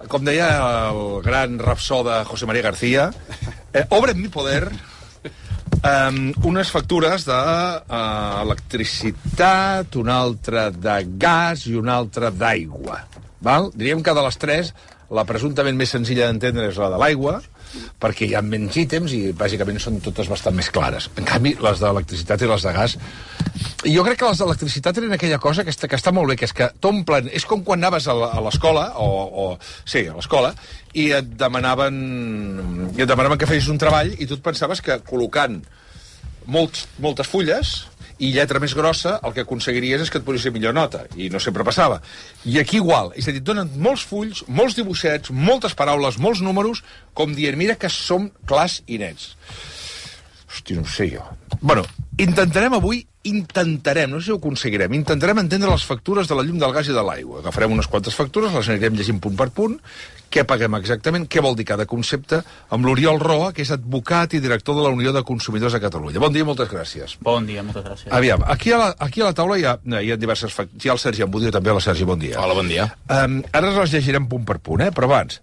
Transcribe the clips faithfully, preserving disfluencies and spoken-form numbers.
com deia el gran rapsode José María García, eh, obra en mi poder um, unes factures d'electricitat, uh, una altra de gas i una altra d'aigua. Val? Diríem que de les tres, la presumptament més senzilla d'entendre és la de l'aigua, perquè hi ha menys ítems i bàsicament són totes bastant més clares. En canvi, les d'electricitat i les de gas... Jo crec que les d'electricitat eren aquella cosa que està, que està molt bé, que és que t'omplen... És com quan anaves a l'escola, o, o... Sí, a l'escola, i et demanaven... I et demanaven que fessis un treball i tu et pensaves que col·locant molts, moltes fulles i lletra més grossa, el que aconseguiries és que et posessis millor nota, i no sempre passava. I aquí igual, és a dir, et donen molts fulls, molts dibuixets, moltes paraules, molts números, com dient, mira que som clars i nets. Hosti, no ho sé jo. Bueno, intentarem avui, intentarem, no sé si ho aconseguirem, intentarem entendre les factures de la llum, del gas i de l'aigua. Agafarem unes quantes factures, les anirem llegint punt per punt, què paguem exactament, què vol dir cada concepte, amb l'Oriol Roa, que és advocat i director de la Unió de Consumidors de Catalunya. Bon dia, moltes gràcies. Bon dia, moltes gràcies. Aviam, aquí a la, aquí a la taula hi ha, hi ha diverses factures. Hi ha el Sergi Ambudio, també. Hola, Sergi, bon dia. Hola, bon dia. Um, ara les llegirem punt per punt, eh? Però abans,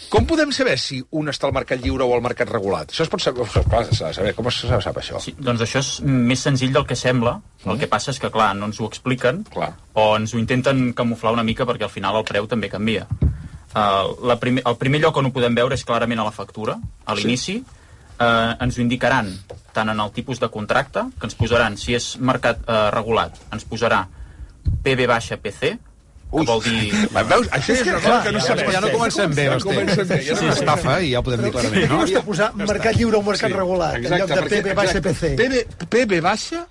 com podem saber si un està al mercat lliure o al mercat regulat? Això es pot saber, clar, saber com es sap això? Sí, doncs això és més senzill del que sembla. Mm. El que passa és que, clar, no ens ho expliquen, clar, o ens ho intenten camuflar una mica perquè al final el preu també canvia. Uh, la primer, el primer lloc on ho podem veure és clarament a la factura, a l'inici. Sí. Uh, ens ho indicaran tant en el tipus de contracte, que ens posaran, si és mercat uh, regulat, ens posarà P B baixa P C, que vol dir... Veus? Això és una cosa que no sabem. Ja no comencem bé, ja comencem bé. Ja no estafa i ja ho podem dir clarament. No costa posar mercat lliure o mercat regulat, en lloc de P B baixa P C. P B baixa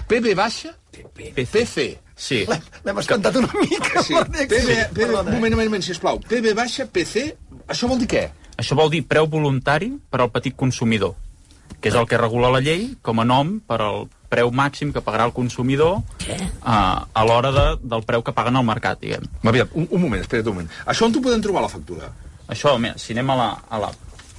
P B baixa P C. Sí. L'hem espantat una mica. Sí. P B, P B, un moment, un moment, sisplau. P B baixa P C, això vol dir què? Això vol dir preu voluntari per al petit consumidor, que és el que regula la llei com a nom per al preu màxim que pagarà el consumidor uh, a l'hora de, del preu que paguen al mercat, diguem. Aviam, un, un moment, espera't un moment. Això on t'ho podem trobar, la factura? Això, mira, si anem a la... A la...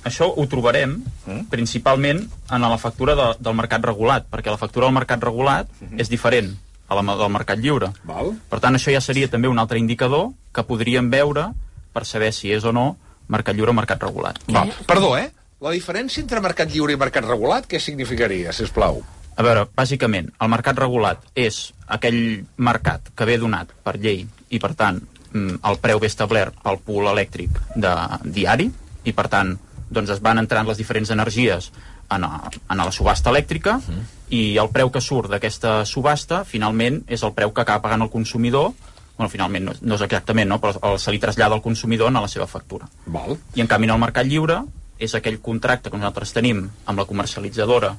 Això ho trobarem mm? principalment en la factura de, del mercat regulat, perquè la factura del mercat regulat mm-hmm. és diferent a la del mercat lliure. Val. Per tant, això ja seria també un altre indicador que podríem veure per saber si és o no mercat lliure o mercat regulat. Val. Perdó, eh? La diferència entre mercat lliure i mercat regulat, què significaria, sisplau? A veure, bàsicament, el mercat regulat és aquell mercat que ve donat per llei i, per tant, el preu ve establert pel pool elèctric de diari i, per tant, doncs es van entrant les diferents energies en, a, en a la subhasta elèctrica uh-huh. i el preu que surt d'aquesta subhasta, finalment, és el preu que acaba pagant el consumidor. Bueno, finalment, no, no és exactament, no? Però se li trasllada al consumidor en la seva factura. Val. I, en canvi, en el mercat lliure és aquell contracte que nosaltres tenim amb la comercialitzadora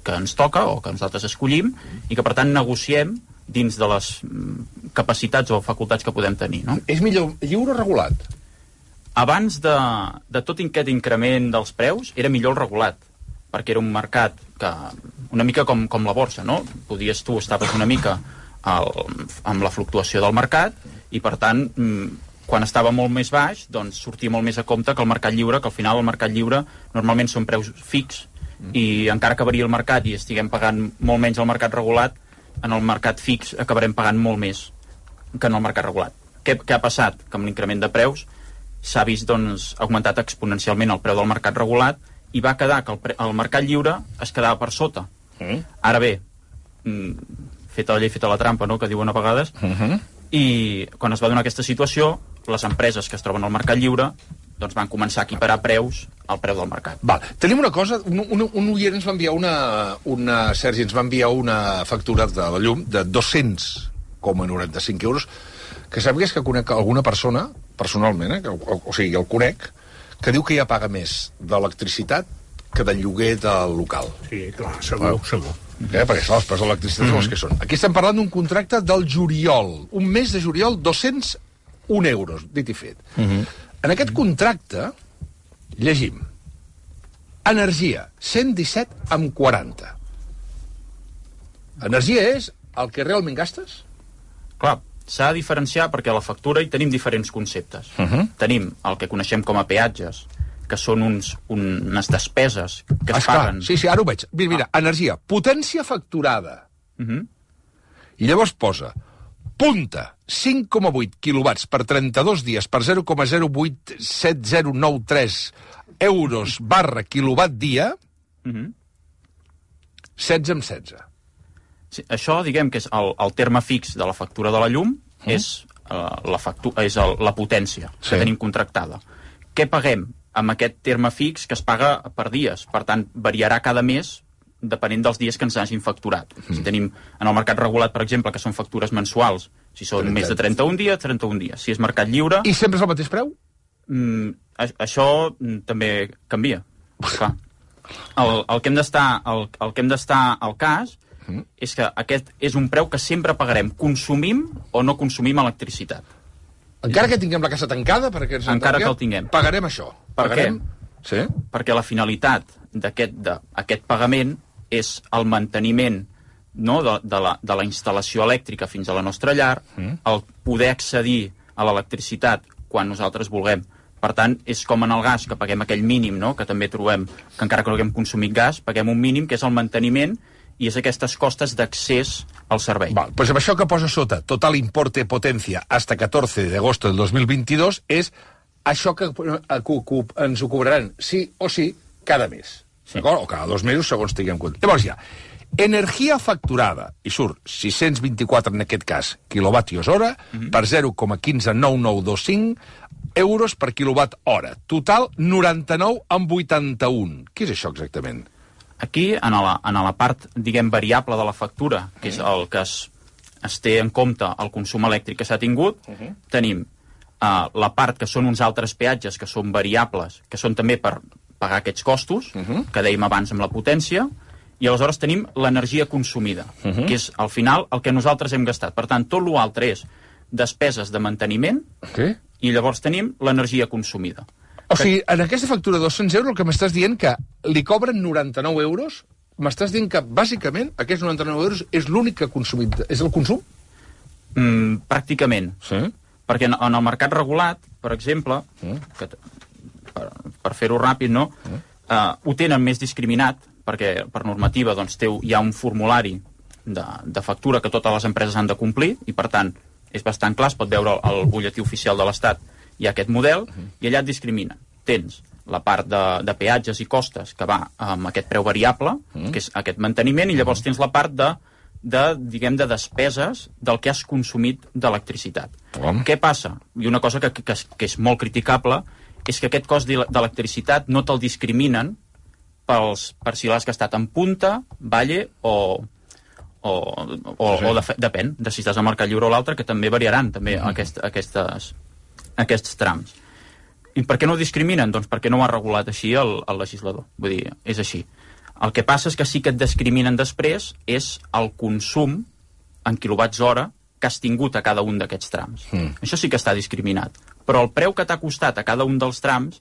que ens toca o que nosaltres escollim i que, per tant, negociem dins de les capacitats o facultats que podem tenir, no? És millor lliure o regulat? Abans de, de tot aquest increment dels preus, era millor el regulat, perquè era un mercat que, una mica com, com la borsa, no? Podies, tu estaves una mica al, amb la fluctuació del mercat i, per tant, quan estava molt més baix, doncs sortia molt més a compte que el mercat lliure, que al final el mercat lliure normalment són preus fix i encara que varia el mercat i estiguem pagant molt menys al mercat regulat, en el mercat fix acabarem pagant molt més que en el mercat regulat. Què, què ha passat? Que amb l'increment de preus s'ha vist, doncs, augmentat exponencialment el preu del mercat regulat i va quedar que el, pre el mercat lliure es quedava per sota. Mm. Ara bé, feta la llei, feta la trampa, no?, que diuen a vegades, mm-hmm. i quan es va donar aquesta situació, les empreses que es troben al mercat lliure doncs van començar a equiparar preus al preu del mercat. Val. Tenim una cosa, un, un, un oient ens va enviar una, una, Sergi, ens va enviar una factura de la llum de dos-cents coma noranta-cinc euros, que sàpigues que conec alguna persona, personalment, eh, que, o, o sigui, el conec, que diu que ja paga més d'electricitat que del lloguer del local. Sí, clar, segur, ah. segur. Eh, perquè clar, els preus de l'electricitat mm-hmm. són els que són. Aquí estem parlant d'un contracte del juliol, un mes de juliol, dos-cents un euros, dit i fet. Mm-hmm. En aquest contracte, llegim, energia, cent disset amb quaranta. Energia és el que realment gastes? Clar, s'ha de diferenciar perquè a la factura hi tenim diferents conceptes. Uh-huh. Tenim el que coneixem com a peatges, que són uns, unes despeses que es Esclar, paguen... Sí, sí, ara ho veig. Mira, mira, ah. energia, potència facturada. Uh-huh. I llavors posa punta, cinc coma vuit quilowatts per trenta-dos dies per zero coma zero vuit set zero nou tres euros barra quilowatt dia, Mm-hmm. setze amb setze. Sí, això, diguem que és el, el terme fix de la factura de la llum, mm. és, uh, la, factu és el, la potència sí. que tenim contractada. Què paguem amb aquest terme fix que es paga per dies? Per tant, variarà cada mes depenent dels dies que ens hagin facturat. Mm. Si tenim en el mercat regulat, per exemple, que són factures mensuals, si són més de trenta-un dies, trenta-un dies. Si és mercat lliure... I sempre és el mateix preu? Mm, això mm, també canvia. Clar. El, el que hem d'estar el, el que hem d'estar al cas mm. és que aquest és un preu que sempre pagarem, consumim o no consumim electricitat. Encara que tinguem la casa tancada, perquè ens encara que el tinguem, pagarem això. Per pagarem... què? Sí? Perquè la finalitat d'aquest pagament és el manteniment, no, de, de, la, de la instal·lació elèctrica fins a la nostra llar, mm. el poder accedir a l'electricitat quan nosaltres vulguem. Per tant, és com en el gas, que paguem aquell mínim, no?, que també trobem que encara que no haguem consumit gas, paguem un mínim, que és el manteniment, i és aquestes costes d'accés al servei. Val, pues amb això que posa sota, total importe potencia hasta catorze de agosto del dos mil veintidós, és això que, que, que ens ho cobraran sí o sí cada mes. Sí. D'acord? O cada dos mesos, segons tinguem compte. Llavors ja, energia facturada, i surt sis-cents vint-i-quatre en aquest cas, quilowatios hora, mm-hmm. per zero coma quinze nou nou dos cinc euros per quilowatt hora. Total, noranta-nou amb vuitanta-un. Què és això exactament? Aquí, en la, en la part, diguem, variable de la factura, que és el que es, es té en compte el consum elèctric que s'ha tingut, uh-huh. tenim uh, la part que són uns altres peatges que són variables, que són també per pagar aquests costos, uh-huh. que dèiem abans amb la potència, i aleshores tenim l'energia consumida, uh-huh. que és, al final, el que nosaltres hem gastat. Per tant, tot l'altre és despeses de manteniment, okay. i llavors tenim l'energia consumida. O sigui, en aquesta factura de dos-cents euros el que m'estàs dient que li cobren noranta-nou euros, m'estàs dient que, bàsicament, aquests noranta-nou euros és l'únic que ha consumit. És el consum? Mm, pràcticament. Sí? Perquè en, en el mercat regulat, per exemple, mm. que, per, per fer-ho ràpid, no? Mm. Uh, ho tenen més discriminat, perquè per normativa doncs, té, hi ha un formulari de, de factura que totes les empreses han de complir, i per tant és bastant clar, es pot veure al butlletí oficial de l'Estat, hi ha aquest model, uh-huh. i allà et discrimina. Tens la part de, de peatges i costes que va amb aquest preu variable, uh-huh. que és aquest manteniment, i llavors uh-huh. tens la part de, de, diguem, de despeses del que has consumit d'electricitat. Uh-huh. Què passa? I una cosa que, que, que és molt criticable és que aquest cost d'electricitat no te'l discriminen pels, per si l'has gastat en punta, valle o... o, o, sí. o de, depèn de si estàs al mercat lliure o l'altre, que també variaran també uh-huh. aquest, aquestes... aquests trams. I per què no ho discriminen? Doncs perquè no ho ha regulat així el, el legislador. Vull dir, és així. El que passa és que sí que et discriminen després és el consum en quilowatts hora que has tingut a cada un d'aquests trams. Mm. Això sí que està discriminat. Però el preu que t'ha costat a cada un dels trams,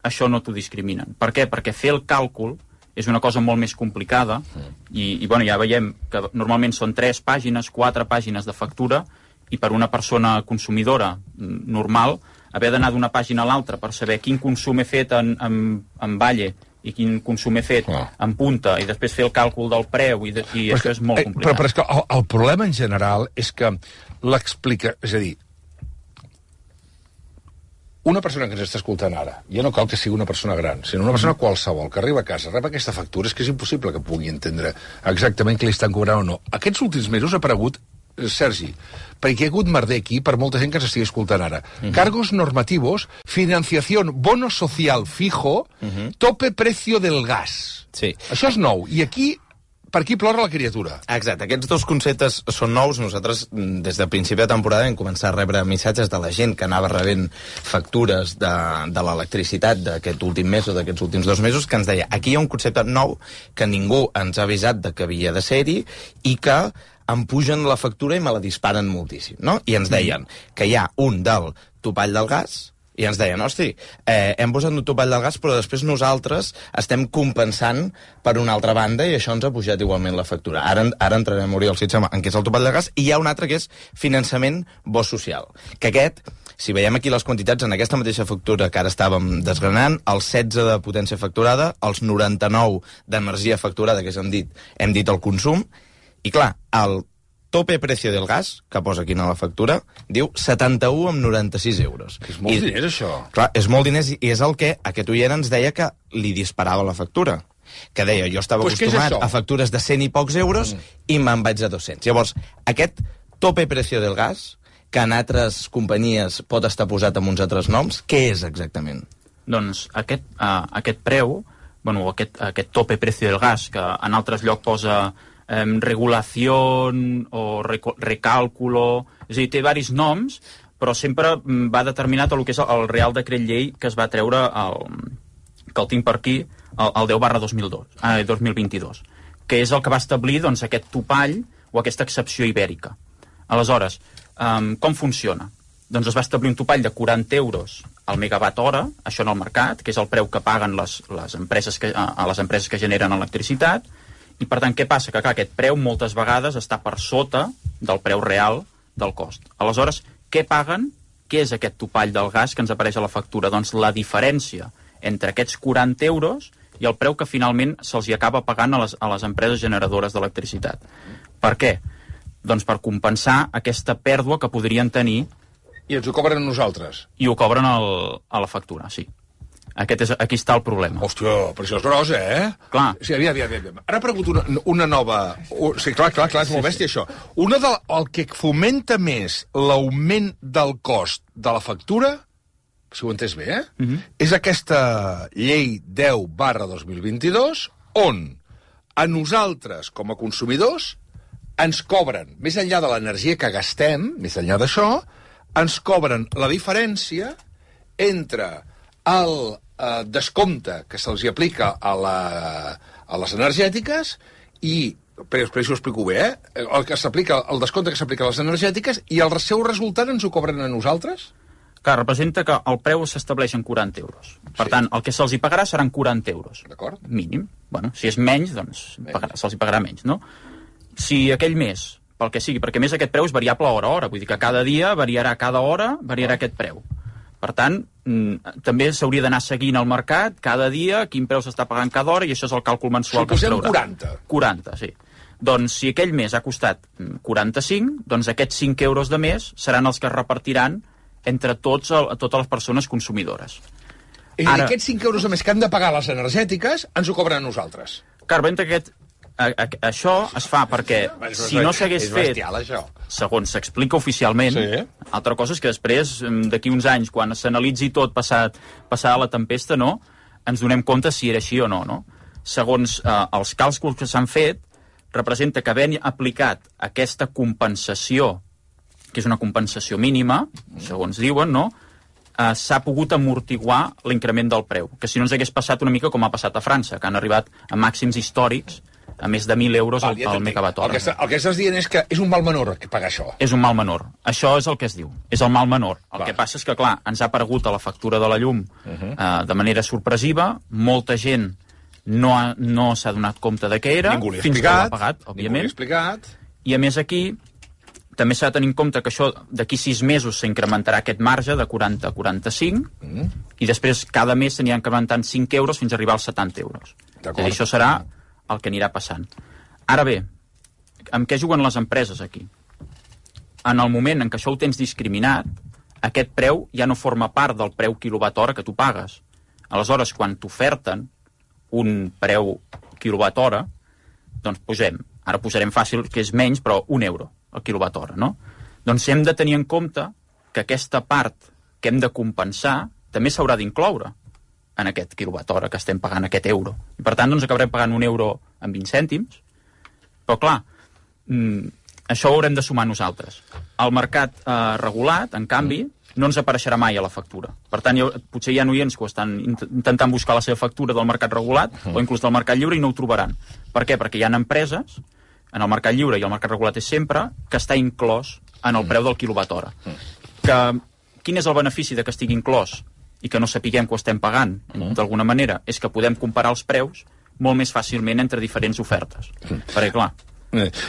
això no t'ho discriminen. Per què? Perquè fer el càlcul és una cosa molt més complicada mm. i, i bueno, ja veiem que normalment són tres pàgines, quatre pàgines de factura, i per una persona consumidora normal, haver d'anar d'una pàgina a l'altra per saber quin consum he fet en, en, en valle i quin consum he fet oh. en punta, i després fer el càlcul del preu, i, de, i això que, és molt complicat. Però, però és que el, el problema en general és que l'explica... És a dir, una persona que ens està escoltant ara, ja no cal que sigui una persona gran, sinó una persona qualsevol que arriba a casa, rep aquesta factura, és que és impossible que pugui entendre exactament què li estan cobrant o no. Aquests últims mesos ha aparegut, Sergi, perquè hi ha hagut merder aquí per molta gent que ens estigui escoltant ara. Uh-huh. Cargos normativos, financiación, bono social fijo, uh-huh. tope precio del gas. Sí. Això és nou. I aquí, per aquí plora la criatura. Exacte. Aquests dos conceptes són nous. Nosaltres, des de principi de temporada, hem començat a rebre missatges de la gent que anava rebent factures de, de l'electricitat d'aquest últim mes o d'aquests últims dos mesos, que ens deia, aquí hi ha un concepte nou que ningú ens ha avisat de que havia de ser-hi i que em pugen la factura i me la disparen moltíssim, no? I ens deien que hi ha un del topall del gas, i ens deien, hosti, eh, hem posat un topall del gas, però després nosaltres estem compensant per una altra banda i això ens ha pujat igualment la factura. Ara, ara entrarem, Oriol, si et sembla, en què és el topall del gas, i hi ha un altre que és finançament bo social, que aquest, si veiem aquí les quantitats, en aquesta mateixa factura que ara estàvem desgranant, el setze de potència facturada, els noranta-nou d'energia facturada, que és, hem dit, hem dit el consum, i clar, el tope precio del gas, que posa aquí a la factura, diu setanta-u coma noranta-sis euros. És molt I, diners, això. Clar, és molt diners, i és el que aquest oient ens deia que li disparava la factura. Que deia, jo estava pues acostumat a factures de cent i pocs euros mm. i me'n vaig a dos-cents. Llavors, aquest tope precio del gas, que en altres companyies pot estar posat amb uns altres noms, què és exactament? Doncs aquest, uh, aquest preu, bueno, aquest, aquest tope precio del gas, que en altres llocs posa eh, regulació o recàlculo, és a dir, té diversos noms, però sempre va determinat el que és el Real Decret Llei que es va treure, el, que el tinc per aquí, el, el deu barra dos mil dos, eh, dos mil vint-i-dos, que és el que va establir doncs, aquest topall o aquesta excepció ibèrica. Aleshores, um, com funciona? Doncs es va establir un topall de quaranta euros al megawatt hora, això en el mercat, que és el preu que paguen les, les empreses que, a les empreses que generen electricitat, i per tant, què passa? Que clar, aquest preu moltes vegades està per sota del preu real del cost. Aleshores, què paguen? Què és aquest topall del gas que ens apareix a la factura? Doncs la diferència entre aquests quaranta euros i el preu que finalment se'ls hi acaba pagant a les, a les empreses generadores d'electricitat. Per què? Doncs per compensar aquesta pèrdua que podrien tenir. I ens ho cobren a nosaltres? I ho cobren al, a la factura, sí. Aquest és, aquí està el problema. Hòstia, però això és gros, eh? Clar. Sí, aviam, aviam, aviam. Ara pregunto una, una nova... Sí, clar, clar, clar, és molt bèstia, això. Una del, el que fomenta més l'augment del cost de la factura, si ho he entès bé, eh? Uh-huh. És aquesta llei deu barra dos mil vint-i-dos, on a nosaltres, com a consumidors, ens cobren, més enllà de l'energia que gastem, més enllà d'això, ens cobren la diferència entre el eh, descompte que se'ls aplica a, la, a les energètiques i, però, però això ho explico bé, eh? El, que s'aplica, el descompte que s'aplica a les energètiques i el seu resultat ens ho cobren a nosaltres? Que representa que el preu s'estableix en quaranta euros. Per sí. tant, el que se'ls hi pagarà seran quaranta euros. D'acord. Mínim. Bueno, si és menys, doncs se'ls hi pagarà menys, no? Si aquell mes, pel que sigui, perquè més aquest preu és variable hora a hora, vull dir que cada dia variarà, cada hora variarà aquest preu. Per tant, també s'hauria d'anar seguint el mercat cada dia, quin preu s'està pagant cada hora, i això és el càlcul mensual que es traurà. Suposem quaranta. quaranta, sí. Doncs si aquell mes ha costat quaranta-cinc, doncs aquests cinc euros de mes seran els que es repartiran entre tots, totes les persones consumidores. I Ara, aquests cinc euros de més que han de pagar les energètiques ens ho cobren a nosaltres. Clar, veient que aquest, a, a, això es fa perquè si no s'hagués fet, bestial, això. segons s'explica oficialment, sí. Altra cosa és que després, d'aquí uns anys, quan s'analitzi tot passat, passada la tempesta, no, ens donem compte si era així o no. no? Segons eh, els càlculs que s'han fet, representa que havent aplicat aquesta compensació, que és una compensació mínima, segons diuen, no? Eh, s'ha pogut amortiguar l'increment del preu, que si no ens hagués passat una mica com ha passat a França, que han arribat a màxims històrics a més de mil euros al, al megawatt hora. El que, el que estàs dient és que és un mal menor que pagar això. És un mal menor. Això és el que es diu. És el mal menor. El clar. Que passa és que, clar, ens ha aparegut a la factura de la llum uh-huh. eh, de manera sorpresiva, molta gent no, ha, no s'ha donat compte de què era, ningú li ha fins explicat, que l'ha pagat, òbviament. Ningú li ha explicat. I a més aquí també s'ha de tenir en compte que això d'aquí sis mesos s'incrementarà aquest marge de quaranta a quaranta-cinc mm. i després cada mes s'anirà incrementant cinc euros fins a arribar als setanta euros. És a dir, això serà el que anirà passant. Ara bé, amb què juguen les empreses aquí? En el moment en què això ho tens discriminat, aquest preu ja no forma part del preu quilowatt hora que tu pagues. Aleshores, quan t'oferten un preu quilowatt hora, doncs posem, ara posarem fàcil que és menys, però un euro el quilowatt hora, no? Doncs hem de tenir en compte que aquesta part que hem de compensar també s'haurà d'incloure en aquest quilowatt hora que estem pagant, aquest euro. I per tant, doncs acabarem pagant un euro amb vint cèntims, però clar, mm, això ho haurem de sumar nosaltres. El mercat eh, regulat, en canvi, no ens apareixerà mai a la factura. Per tant, jo, potser hi ha oients que estan intentant buscar la seva factura del mercat regulat uh-huh. o inclús del mercat lliure i no ho trobaran. Per què? Perquè hi ha empreses en el mercat lliure i el mercat regulat és sempre, que està inclòs en el preu del quilowatt hora. Que, quin és el benefici de que estigui inclòs i que no sapiguem que ho estem pagant, d'alguna manera? És que podem comparar els preus molt més fàcilment entre diferents ofertes. Perquè, clar...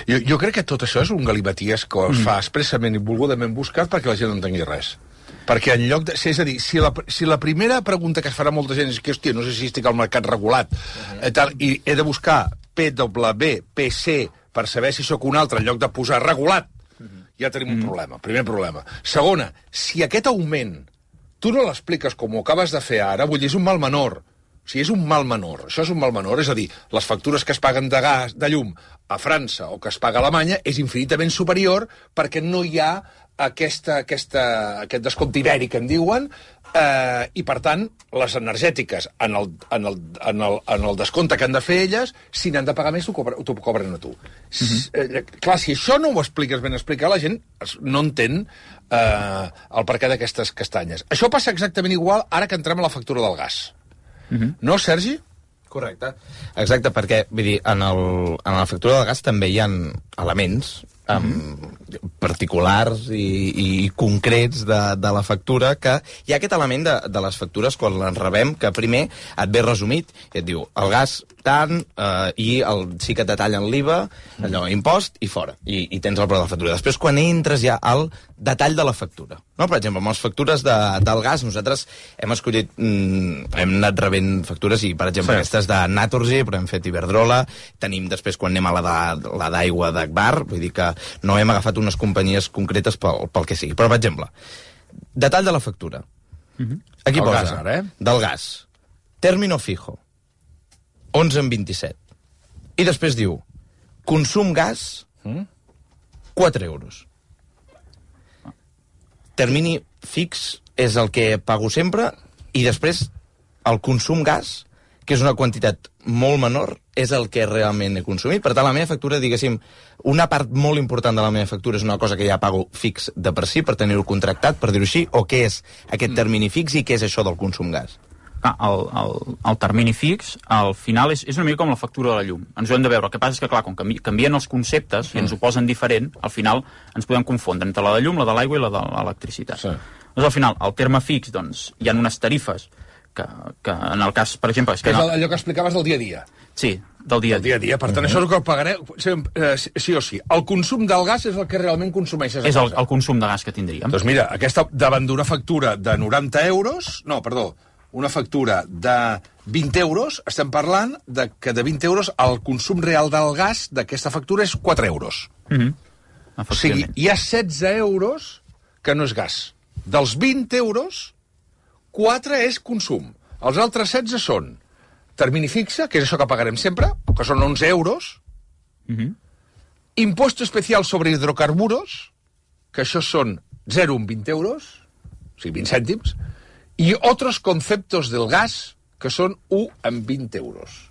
Jo, jo crec que tot això és un galimaties que es fa expressament i volgudament buscat perquè la gent no entengui res. Perquè en lloc de... És a dir, si la, si la primera pregunta que es farà molta gent és que, hòstia, no sé si estic al mercat regulat uh-huh. eh, tal, i he de buscar P W, P C, per saber si sóc un altre, en lloc de posar regulat, ja tenim un problema. Primer problema. Segona, si aquest augment tu no l'expliques com ho acabes de fer ara, vull dir, és un mal menor. O sigui, és un mal menor. Això és un mal menor. És a dir, les factures que es paguen de gas, de llum, a França o que es paga a Alemanya és infinitament superior perquè no hi ha aquesta, aquesta, aquest descompte ibèric, en diuen, eh, i, per tant, les energètiques, en el, en, el, en, el, en el descompte que han de fer elles, si n'han de pagar més, t'ho cobren, t'ho cobren a tu. Uh-huh. eh, clar, si això no ho expliques ben explicat, la gent no entén eh, el perquè d'aquestes castanyes. Això passa exactament igual ara que entrem a la factura del gas. Uh-huh. No, Sergi? Correcte. Exacte, perquè, vull dir, en, el, en la factura del gas també hi ha elements um, mm. particulars i, i concrets de, de la factura, que hi ha aquest element de, de les factures quan les rebem, que primer et ve resumit i et diu el gas tant, eh, i el, sí que et detallen l'I V A, allò, impost, i fora. I, i tens el preu de la factura. Després, quan entres ja al detall de la factura. No? Per exemple, amb les factures de, del gas, nosaltres hem escollit, mm, hem anat rebent factures, i, per exemple, sí. aquestes de Naturgy, però hem fet Iberdrola, tenim després, quan anem a la de, la d'aigua d'Agbar, vull dir que no hem agafat unes companyies concretes pel, pel que sigui. Però, per exemple, detall de la factura. Mm-hmm. Aquí el posa, gas, ara, eh? del gas, término fijo, onze en vint-i-set. I després diu, consum gas, quatre euros. Termini fix és el que pago sempre, i després el consum gas, que és una quantitat molt menor, és el que realment he consumit. Per tant, la meva factura, diguéssim, una part molt important de la meva factura és una cosa que ja pago fix de per si, per tenir-ho contractat, per dir-ho així, o què és aquest termini fix i què és això del consum gas? Ah, el, el, el termini fix, al final, és, és una mica com la factura de la llum. Ens ho hem de veure. El que passa és que, clar, com canvi, canvien els conceptes i ens ho posen diferent, al final ens podem confondre entre la de llum, la de l'aigua i la de l'electricitat. Sí. Doncs, al final, el terme fix, doncs, hi ha unes tarifes que, que en el cas, per exemple... És que, que és no... allò que explicaves del dia a dia. Sí, del dia a dia. Del dia a dia. Per tant, uh-huh. això és el que pagareu eh, sí o sí. El consum del gas és el que realment consumeixes a casa. És el, el consum de gas que tindríem. Doncs mira, aquesta, davant d'una factura de noranta euros... No, perdó, una factura de vint euros, estem parlant de que de vint euros el consum real del gas d'aquesta factura és quatre euros. Mm-hmm. O sigui, hi ha setze euros que no és gas. Dels vint euros, quatre és consum. Els altres setze són termini fixe, que és això que pagarem sempre, que són onze euros, mm-hmm. impuesto especial sobre hidrocarburos, que això són zero coma vint euros, o sigui, vint cèntims, i otros conceptos del gas, que són u en vint euros.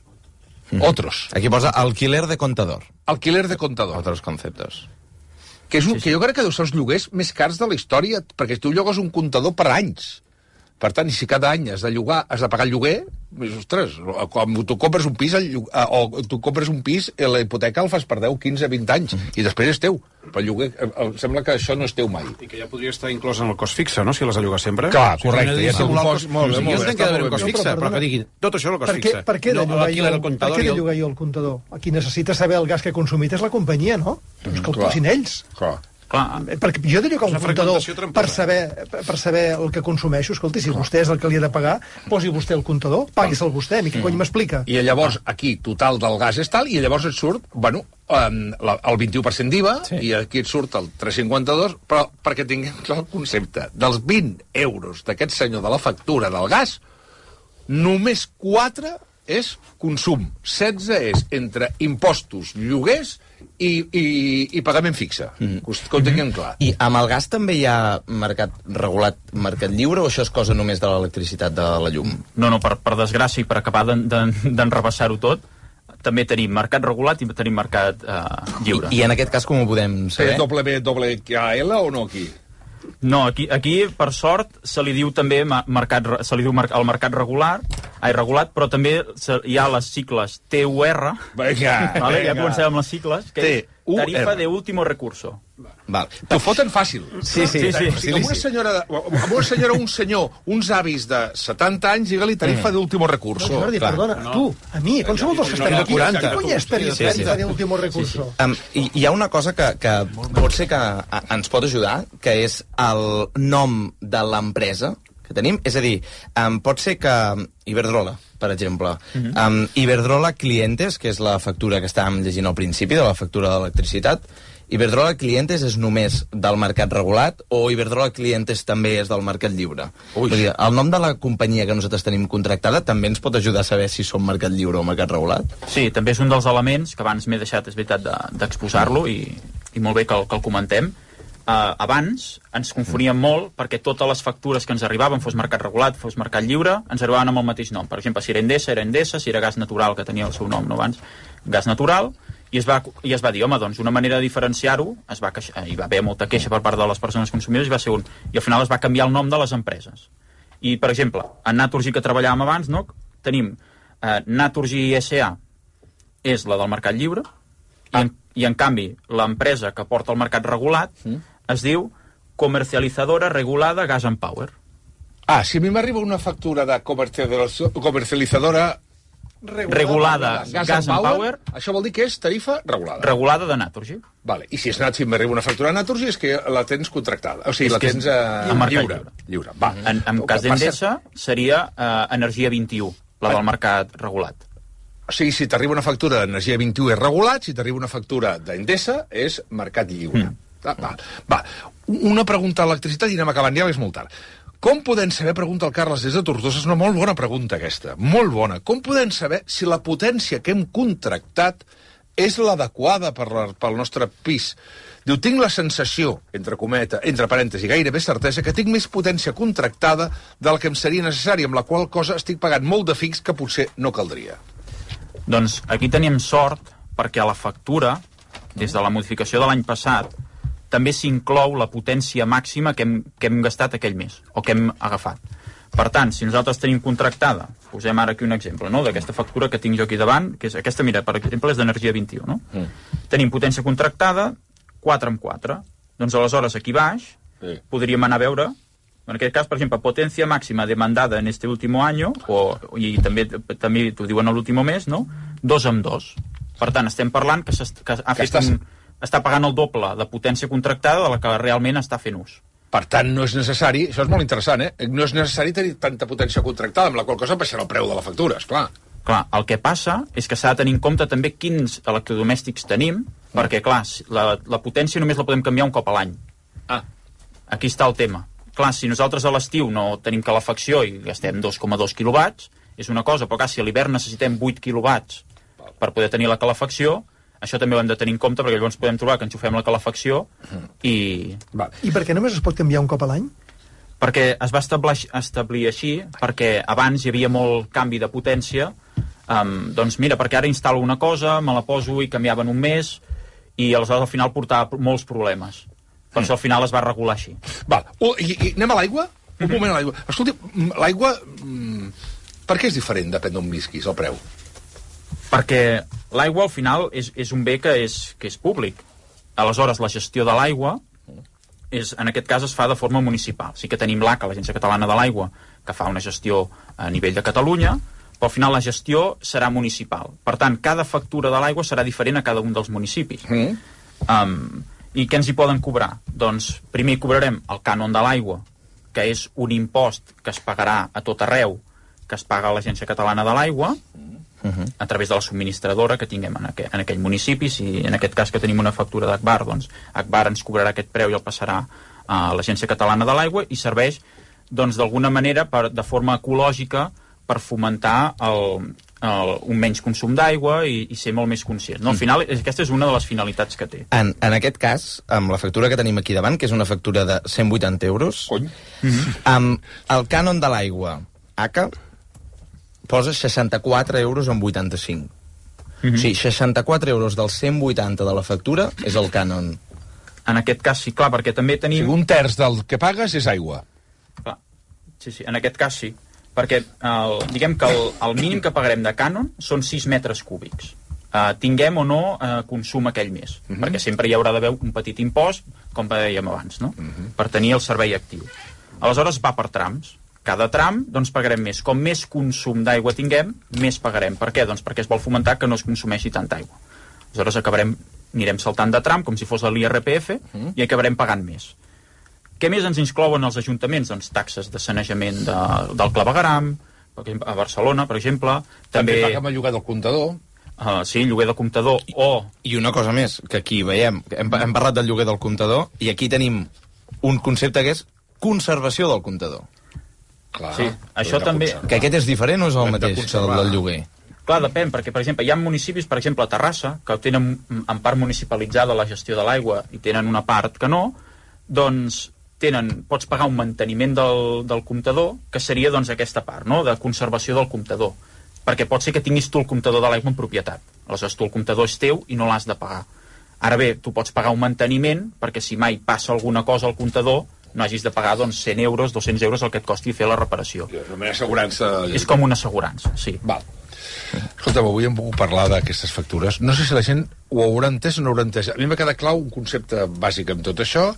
Mm. Otros. Aquí posa alquiler de contador. Alquiler de contador. Otros conceptos. Que, és un, sí, sí. que jo crec que deu ser els lloguers més cars de la història, perquè tu llogues un comptador per anys. Per tant, i si cada any has de llogar, has de pagar el lloguer, ostres, quan tu compres un pis, el lloguer, o tu compres un pis, la hipoteca el fas per deu, quinze, vint anys, mm. i després és teu. Però el lloguer, sembla que això no és teu mai. I que ja podria estar inclòs en el cost fixe, no?, si l'has de llogar sempre. Clar, correcte. Si ja ja un cost, molt bé, molt bé. Jo entenc que ha d'haver un cost fixe, però que diguin tot això és el cost fixe. Per què de llogar jo el comptador? Qui necessita saber el gas que he consumit és la companyia, no? Doncs que el posin ells. Clar. Clar. Perquè jo diria que un comptador, per saber, per saber el que consumeixo, escolti, si vostè és el que li ha de pagar, posi vostè el comptador, pagui'l vostè, a mi què cony m'explica? I llavors, aquí, total del gas és tal, i llavors et surt, bueno, el vint-i-u per cent d'I V A, sí. I aquí et surt el tres coma cinquanta-dos, però perquè tinguem clar el concepte, dels vint euros d'aquest senyor de la factura del gas, només quatre és consum, setze és entre impostos, lloguers i, i, i pagament fixe. Mm. Que ho tinguem clar. I amb el gas també hi ha mercat regulat, mercat lliure, o això és cosa només de l'electricitat, de la llum? No, no, per, per desgràcia i per acabar d'enrebaçar-ho tot, també tenim mercat regulat i tenim mercat eh, lliure. I, I en aquest cas com ho podem saber? W W K L o no aquí? No, aquí, aquí per sort, se li diu també mercat, se li diu el mercat regular, ai, regulat, però també hi ha les sigles T U R, venga, vale? venga. Ja comencem amb les sigles, que és tarifa de último recurso. Val. T'ho foten fàcil. Sí, sí. sí, sí. O sigui, amb una senyora, amb una senyora, un senyor, uns avis de setanta anys, digue-li tarifa mm. d'último recurso. No, Jordi, clar. Perdona, no. tu, a mi, com som els que estem aquí? Què cony és tarifa sí, sí. d'último recurso? Sí, sí. Um, hi, hi ha una cosa que, que pot ser que ens pot ajudar, que és el nom de l'empresa, que tenim. És a dir, um, pot ser que Iberdrola, per exemple, uh-huh. um, Iberdrola Clientes, que és la factura que estàvem llegint al principi, de la factura d'electricitat, Iberdrola Clientes és només del mercat regulat o Iberdrola Clientes també és del mercat lliure? Vull dir, el nom de la companyia que nosaltres tenim contractada també ens pot ajudar a saber si som mercat lliure o mercat regulat? Sí, també és un dels elements que abans m'he deixat, és veritat, d'exposar-lo de, i, i molt bé que el, que el comentem. Uh, abans ens confoníem molt perquè totes les factures que ens arribaven, fos mercat regulat, fos mercat lliure, ens arribaven amb el mateix nom. Per exemple, si era Endesa, era Endesa, si era gas natural, que tenia el seu nom no abans, gas natural, i es va, i es va dir, home, doncs una manera de diferenciar-ho, es va queixar, hi va haver molta queixa per part de les persones consumidores, i va ser un, i al final es va canviar el nom de les empreses. I, per exemple, en Naturgy, que treballàvem abans, no? Tenim eh, Naturgy S A és la del mercat lliure, ah. i, en, i en canvi l'empresa que porta el mercat regulat mm. es diu Comercializadora Regulada Gas and Power. Ah, si a mi m'arriba una factura de comercialitzadora regulada, regulada gas, gas and power, power, això vol dir que és tarifa regulada. Regulada de Naturgy. Vale. I si és Naturgy, m'arriba una factura de Naturgy, és que la tens contractada. O sigui, és la tens uh, lliure. lliure. lliure. Va. En, en cas d'Endesa seria uh, Energia vint-i-u, la del mercat regulat. O sigui, si t'arriba una factura d'Energia vint-i-u és regulat, si t'arriba una factura d'Endesa és mercat lliure. Mm. Ah, va. va. Una pregunta a l'electricitat i anem acabant ja, és molt tard. Com podem saber, pregunta el Carles des de Tortosa, és una molt bona pregunta aquesta, molt bona. Com podem saber si la potència que hem contractat és l'adequada per la, pel nostre pis? Diu, tinc la sensació, entre cometa, entre parèntesi, gairebé certesa, que tinc més potència contractada del que em seria necessari, amb la qual cosa estic pagant molt de fix que potser no caldria. Doncs aquí tenim sort, perquè a la factura, des de la modificació de l'any passat, també s'inclou la potència màxima que hem, que hem gastat aquell mes, o que hem agafat. Per tant, si nosaltres tenim contractada, posem ara aquí un exemple, no?, d'aquesta factura que tinc jo aquí davant, que és aquesta, mira, per exemple, és d'Energia vint-i-u, no? Mm. Tenim potència contractada, quatre amb quatre. Doncs aleshores, aquí baix, sí. podríem anar a veure, en aquest cas, per exemple, potència màxima demandada en este último año, o, i també també t'ho diuen a l'último mes, no?, dos amb dos. Per tant, estem parlant que, que ha fet estàs... un... està pagant el doble de potència contractada de la que realment està fent ús. Per tant, no és necessari, això és molt interessant, eh? No és necessari tenir tanta potència contractada, amb la qual cosa baixarà el preu de la factura, esclar. Clar, el que passa és que s'ha de tenir en compte també quins electrodomèstics tenim, mm. perquè, clar, la, la potència només la podem canviar un cop a l'any. Ah. Aquí està el tema. Clar, si nosaltres a l'estiu no tenim calefacció i gastem dos coma dos quilowatts, és una cosa, però clar, si a l'hivern necessitem vuit quilowatts per poder tenir la calefacció, això també ho hem de tenir en compte, perquè llavors podem trobar que enxufem la calefacció i... Va. I per què només es pot canviar un cop a l'any? Perquè es va establir, establir així, perquè abans hi havia molt canvi de potència, um, doncs mira, perquè ara instal·lo una cosa, me la poso i canviava en un mes, i aleshores al final portava molts problemes. Per mm. això al final es va regular així. Val. Uh, i, i anem a l'aigua? Un mm-hmm. moment a l'aigua. Escolti, l'aigua, mm, per què és diferent, depèn d'on visquis, el preu? Perquè l'aigua, al final, és, és un bé que és, que és públic. Aleshores, la gestió de l'aigua, és, en aquest cas, es fa de forma municipal. Sí que tenim l'A C A, l'Agència Catalana de l'Aigua, que fa una gestió a nivell de Catalunya, però al final la gestió serà municipal. Per tant, cada factura de l'aigua serà diferent a cada un dels municipis. Mm. Um, I què ens hi poden cobrar? Doncs, primer cobrarem el cànon de l'aigua, que és un impost que es pagarà a tot arreu, que es paga a l'Agència Catalana de l'Aigua, Uh-huh. a través de la subministradora que tinguem en, aqu en aquell municipi. Si en aquest cas que tenim una factura d'Agbar, doncs Agbar ens cobrarà aquest preu i el passarà a l'Agència Catalana de l'Aigua i serveix doncs d'alguna manera per, de forma ecològica per fomentar el, el, un menys consum d'aigua i, i ser molt més conscient. No? Al final, aquesta és una de les finalitats que té. En, en aquest cas, amb la factura que tenim aquí davant, que és una factura de cent vuitanta euros, mm-hmm. amb el cànon de l'aigua A C A posa seixanta-quatre euros amb vuitanta-cinc. Mm-hmm. O sigui, seixanta-quatre euros dels cent vuitanta de la factura és el cànon. En aquest cas sí, clar, perquè també tenim... O sigui, un terç del que pagues és aigua. Clar, sí, sí, en aquest cas sí. Perquè, el, diguem que el, el mínim que pagarem de cànon són sis metres cúbics. Uh, tinguem o no uh, consum aquell mes. Mm-hmm. Perquè sempre hi haurà d'haver un petit impost, com dèiem abans, no? Mm-hmm. Per tenir el servei actiu. Aleshores va per trams. Cada tram, doncs, pagarem més. Com més consum d'aigua tinguem, més pagarem. Per què? Doncs perquè es vol fomentar que no es consumeixi tanta aigua. Aleshores acabarem, anirem saltant de tram, com si fos l'I R P F, mm. i acabarem pagant més. Què més ens inclouen els ajuntaments? Doncs taxes de sanejament de, del clavegueram, a Barcelona, per exemple. També, també paguem el lloguer del comptador. Uh, sí, lloguer de comptador I, o... I una cosa més, que aquí veiem, hem, hem parlat del lloguer del comptador, i aquí tenim un concepte que és conservació del comptador. Clar, sí, això també... Que aquest és diferent o és el mateix que el del lloguer? Clar, depèn, perquè, per exemple, hi ha municipis, per exemple, a Terrassa, que tenen en part municipalitzada la gestió de l'aigua i tenen una part que no, doncs tenen, pots pagar un manteniment del, del comptador, que seria doncs aquesta part, no?, de conservació del comptador. Perquè pot ser que tinguis tu el comptador de l'aigua en propietat. Aleshores, tu el comptador és teu i no l'has de pagar. Ara bé, tu pots pagar un manteniment perquè si mai passa alguna cosa al comptador no hagis de pagar doncs, cent euros, dos-cents euros el que et costi fer la reparació. És una assegurança... És com una assegurança, sí. Val. Escolta, avui hem pogut parlar d'aquestes factures. No sé si la gent ho haurà entès o no ho haurà entès. A mi m'ha quedat clar un concepte bàsic amb tot això,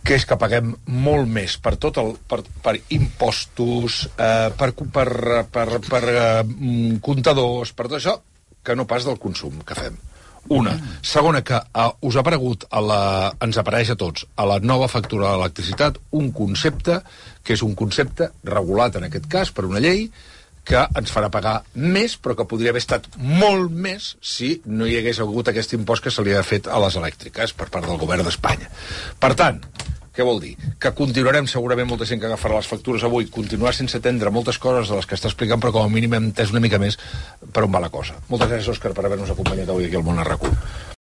que és que paguem molt més per tot el, per, per impostos, eh, per, per, per, per eh, comptadors, per tot això, que no pas del consum que fem. Una. Segona, que eh, us ha aparegut, a la, ens apareix a tots, a la nova factura de l'electricitat, un concepte que és un concepte regulat, en aquest cas, per una llei, que ens farà pagar més, però que podria haver estat molt més si no hi hagués hagut aquest impost que se li ha fet a les elèctriques per part del govern d'Espanya. Per tant, què vol dir? Que continuarem, segurament molta gent que agafarà les factures avui, continuar sense atendre moltes coses de les que està explicant, però com a mínim hem entès una mica més per on va la cosa. Moltes gràcies, Òscar, per haver-nos acompanyat avui aquí al Món a RAC u.